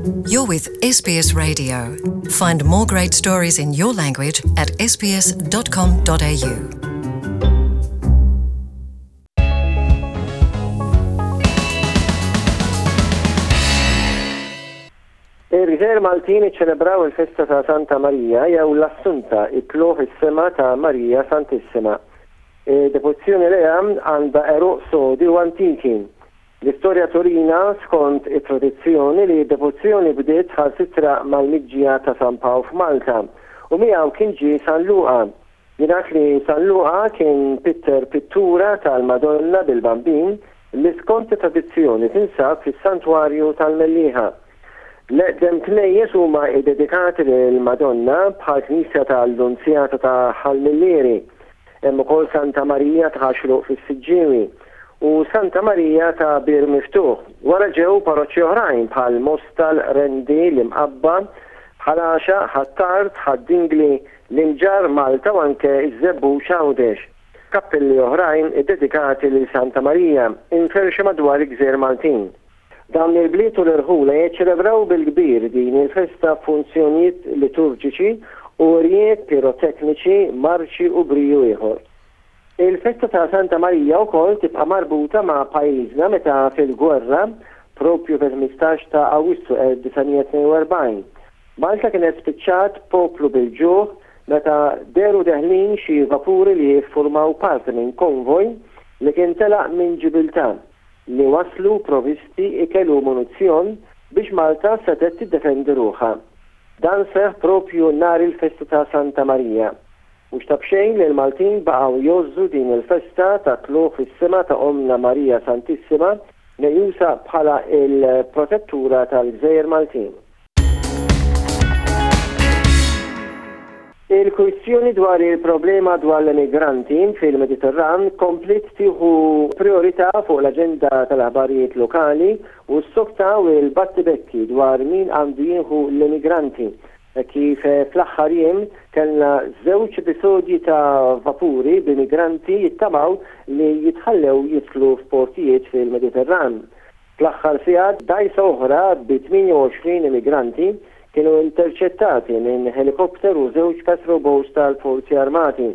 You're with SBS Radio. Find more great stories in your language at sbs.com.au. Il-Gżejjer Maltin iċċelebraw il-festa ta' Santa Marija jew l-Assunta, it-Tlugħ is-Sema ta' Marija Santissima. Id-devozzjoni lejha għandha għeruq sodi u antiki. L-istorja turina, skont it-tradizzjoni, li d-devozzjoni bdiet saħansitra mal-miġja ta' San Pawl f'Malta, u miegħu kien ġie San Luqa. Jingħad li San Luqa kien pitter pittura tal-Madonna bil-Bambin li skont it-tradizzjoni tinsab fis-Santwarju tal-Mellieħa. L-eqdem knejjes huma ddedikati lill-Madonna bħall-knisja tal-Lunzjata ta' Ħal Millieri. Hemm ukoll Santa Marija ta' Ħaxruq fis-Siġġiewi u Santa Marija ta' Bir Miftuħ. Wara ġew paroċċi oħrajn bħal Mosta, l-Qrendi, l-Imqabba, Ħal Għaxaq, Ħ'Attard, Ħad-Dingli, l-Imġarr, Malta u anke ż-Żebbuġ Għawdex. Kappelli oħrajn iddedikati lil Santa Marija inferxu madwar il-gżejjer Maltin. Dawn il-bliet u l-irħula jiċċelebraw bil-kbir din il-festa b'funzjonijiet liturġiċi u wirjiet pirotekniċi, marċi u briju ieħor. Il-festa ta' Santa Marija wkoll tibqa' marbuta ma' pajjiżna meta fil-gwerra, proprju fil-15 ta' Awwissu 1942, Malta kienet spiċċat poplu bil-ġuħ meta dehru deħlin xi vapuri li jiffurmaw parti minn konvoj li kien telaq minn Ġibiltà. li wasslu provisti, ikel u munizzjon biex Malta setgħet tiddefendi ruħha. Dan seħħ proprju nhar il-festa ta' Santa Marija. Mhux ta' b'xejn li l-Maltin baqgħu jgħożżu din il-festa tat-tlugħ fis-sema ta' Ommna Marija Santissima, meqjusa bħala l-protettura tal-gżejjer Maltin. Il-kwistjoni dwar il-problema dwar l-emigranti fil-Mediterran kompliet tieħu prijorità fuq l-aġenda tal-aħbarijiet lokali u ssoktaw il-battibekki dwar min għandu jieħu l-emigranti hekk kif fl-aħħar jiem kellna żewġ episodji ta' vapuri b'immigranti jittamaw li jitħallew jidħlu f'portijiet fil-Mediterran. Fl-aħħar sigħat, dgħajsa oħra bi 28 immigranti kienu interċettati minn ħelikopter u żewġ patrol boats tal-Forzi Armati,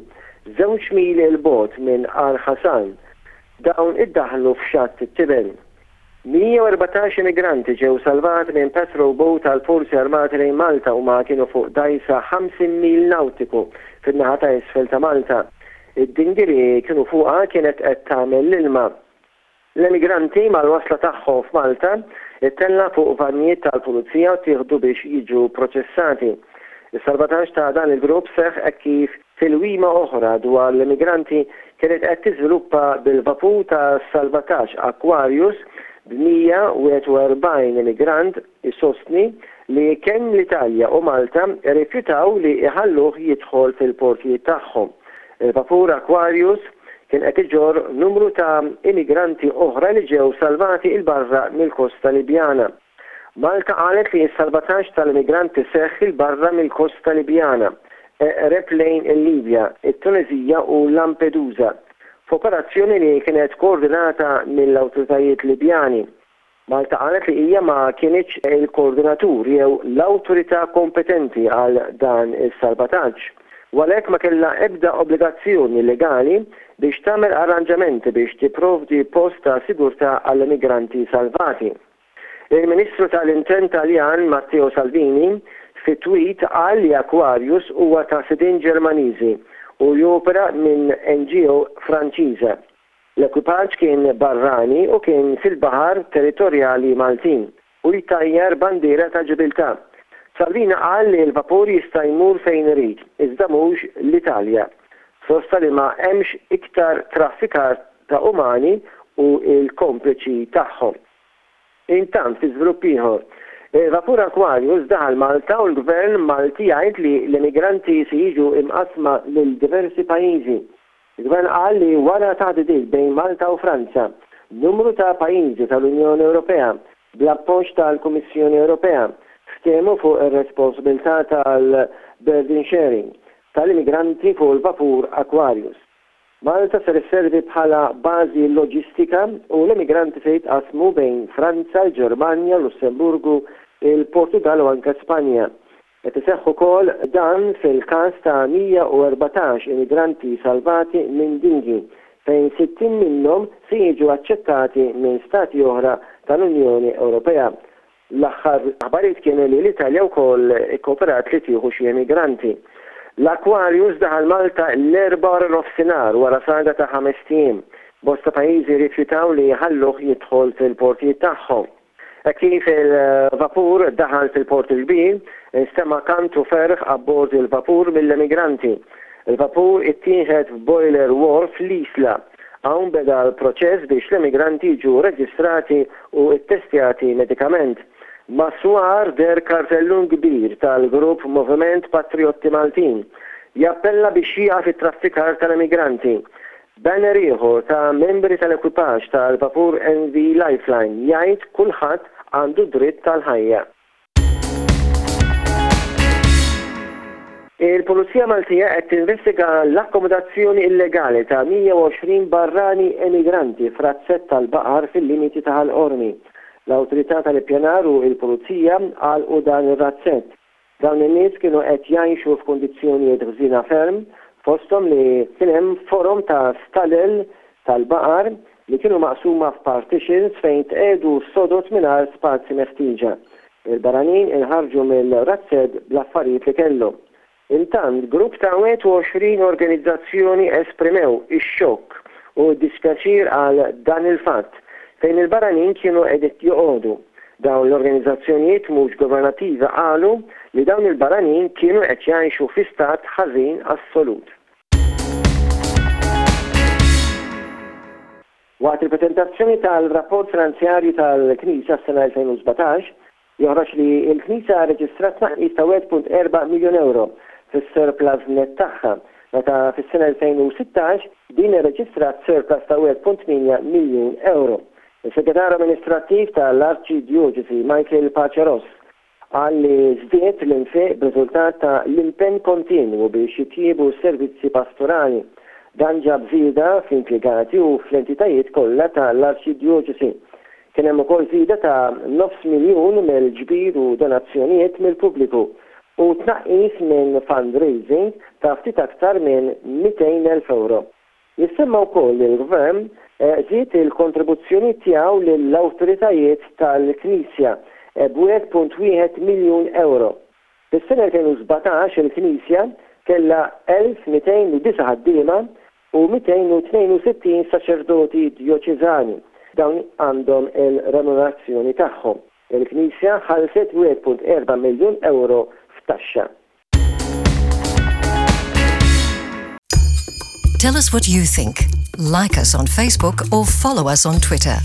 żewġ mili 'l bogħod minn Għar Ħasan. Dawn iddaħħlu f'Xatt it-Tiben. 114 immigranti ġew salvati minn patrol boat tal-Forzi Armati lejn Malta huma kienu fuq dgħajsa 50 mil nawtiku fin-naħa ta' isfel ta' Malta. Id-dinghy li kienu fuqha kienet qed tagħmel l-ilma. L-emigranti mal-wasla tagħhom f'Malta ttella' fuq vannijiet tal-Pulizija u ttieħdu biex jiġu proċessati. Is-salvataġġ ta' dan il-grupp seħħ hekk kif tilwima oħra dwar l-emigranti kienet qed tiżviluppa bil-vapur ta' salvataġġ Aquarius b'141 emigrant isostni li kemm l-Italja u Malta rrifjutaw li jħalluh jidħol fil-portijiet tagħhom. Il-vapur Aquarius kien qed iġorr numru ta' immigranti oħra li ġew salvati 'il barra mill-kosta Libjana. Malta qalet li s-salvataġġ tal-immigranti seħħ 'il barra mill-kosta Libjana, eqreb lejn il-Libja, it-Tuneżija u Lampedusa, f'operazzjoni li kienet koordinata mill-awtoritajiet Libjani. Malta qalet li hija ma kinitx il-koordinatur jew l-awtorità kompetenti għal dan is-salvataġġ u għalhekk ma kellha ebda obbligazzjoni legali biex tagħmel arranġamenti biex tipprovdi post ta' sigurtà għall-immigranti salvati. Il-Ministru tal-Intern Taljan Matteo Salvini fi tweet qal li Aquarius huwa ta' sidien Ġermaniżi u jopera minn NGO Franċiża. L-ekwipaġġ kien barrani u kien fil-baħar territorjali Maltin u jtajjar bandiera ta' Ġibiltà. Salvini qal li l-vapur jista' jmur fejn irid, iżda mhux l-Italja. Sostna li ma hemmx iktar traffikar ta' umani u l-kompliċi tagħhom. Intant, fi żvilupp ieħor, il-vapur Aquarius daħal Malta u l-Gvern Malti jgħid li l-immigranti se jiġu imqassma lil diversi pajjiżi. Il-Gvern qal li wara taħdidiet bejn Malta u Franza, numru ta' pajjiżi tal-Unjoni Ewropea, bl-appoġġ tal-Kummissjoni Ewropea, ftehmu fuq ir-responsabilità tal-burden sharing tal-immigranti fuq il-vapur Aquarius. Malta ser isservi bħala bażi loġistika u l-immigranti se jitqassmu bejn Franza, l-Ġermanja, Lussemburgu, il-Portugall u anke Spanja. Qed iseħħ ukoll dan fil-każ ta' 114 immigranti salvati minn dinghy, fejn 60 minnhom se jiġu aċċettati minn stati oħra tal-Unjoni Ewropea. L-aħħar aħbarijiet kienu li l-Italja wkoll ikkooperat li tieħu xi immigranti. L-Aquarius daħal Malta l-Erbgħa waranofsinhar wara saga ta' ħamest ijiem. Bosta pajjiżi rrifjutaw li jħalluh jidħol fil-portijiet tagħhom. Hekk kif il-vapur daħal fil-Port il-Kbir, instema' kant u ferħ abbord il-vapur mill-emigranti. Il-vapur ittieħed f'Boiler Wharf l-Isla. Hawn beda l-proċess biex l-emigranti jiġu reġistrati u ttestjati medikament. Mas-swar deher kartellun kbir tal-grupp Moviment Patrijotti Maltin jappella biex jieqaf it-traffikar tal-emigranti. Banner ieħor ta' membri tal-ekwipaġġ tal-vapur MV Lifeline jgħid kulħadd għandu dritt għall-ħajja. Il-Pulizija Maltija qed tinvestiga l-akkomodazzjoni illegali ta' 120 barrani emigranti f'razzett tal-baqar fil-limiti ta' Ħal Qormi. L-Awtorità tal-Ippjanar u l-Pulizija għalqu dan ir-razzett. Dawn in-nies kienu qed jgħixu f'kundizzjonijiet ħżiena ferm, fosthom li kien hemm forom ta' stalel tal-baqar li kienu maqsuma f'partitions fejn tqiegħdu sodod mingħajr spazji meħtieġa. Il-barranin inħarġu mill-razzett bl-affarijiet li kellhom. Intant, grupp ta' 21 organizzazzjoni esprimew ix-xokk u d-dispjaċir għal dan il-fatt, fejn il-barranin kienu qegħdin joqogħdu. Dawn l-organizzazzjonijiet mhux governattivi qalu li dawn il-barranin kienu qed jgħixu fi stat ħażin assolut. Waqt il-preżentazzjoni tal-rapport finanzjarju tal-Knisja għas-sena 2017, joħroġ li l-Knisja rreġistrat tnaqqis ta' 1.4 miljun ewro fis-surplus nett tagħha, meta fis-sena 2016 din irreġistrat surplus ta' 1.8 miljun ewro. Is-Segretarju Amministrattiv ta' l-Arċidjoċesi Michael Pace Ross qal li żdied l-infiq b'riżultat ta' l-impenn kontinwu biex jitjiebu s-servizzi pastorali. Dan ġab żieda fl-impjegati u fl-entitajiet kollha ta' l-Arċidjoċesi. Kien hemm ukoll żieda ta' nofs miljun mill-ġbir u donazzjonijiet mill-pubbliku u tnaqqis minn fundraising ta' ftit aktar minn 200,000 ewro. Jissemma wkoll li l-Gvern żied il-kontribuzzjonijiet tiegħu lill-awtoritajiet tal-Knisja b'1.1 miljun ewro. Fis-sena 2017 il-Knisja kellha 1,209 ħaddiema u 262 saċerdoti djoċeżani. Dawn għandhom il-remunerazzjoni tagħhom. Il-Knisja ħallset 1.4 miljun ewro f'taxxa. Tell us what you think. Like us on Facebook or follow us on Twitter.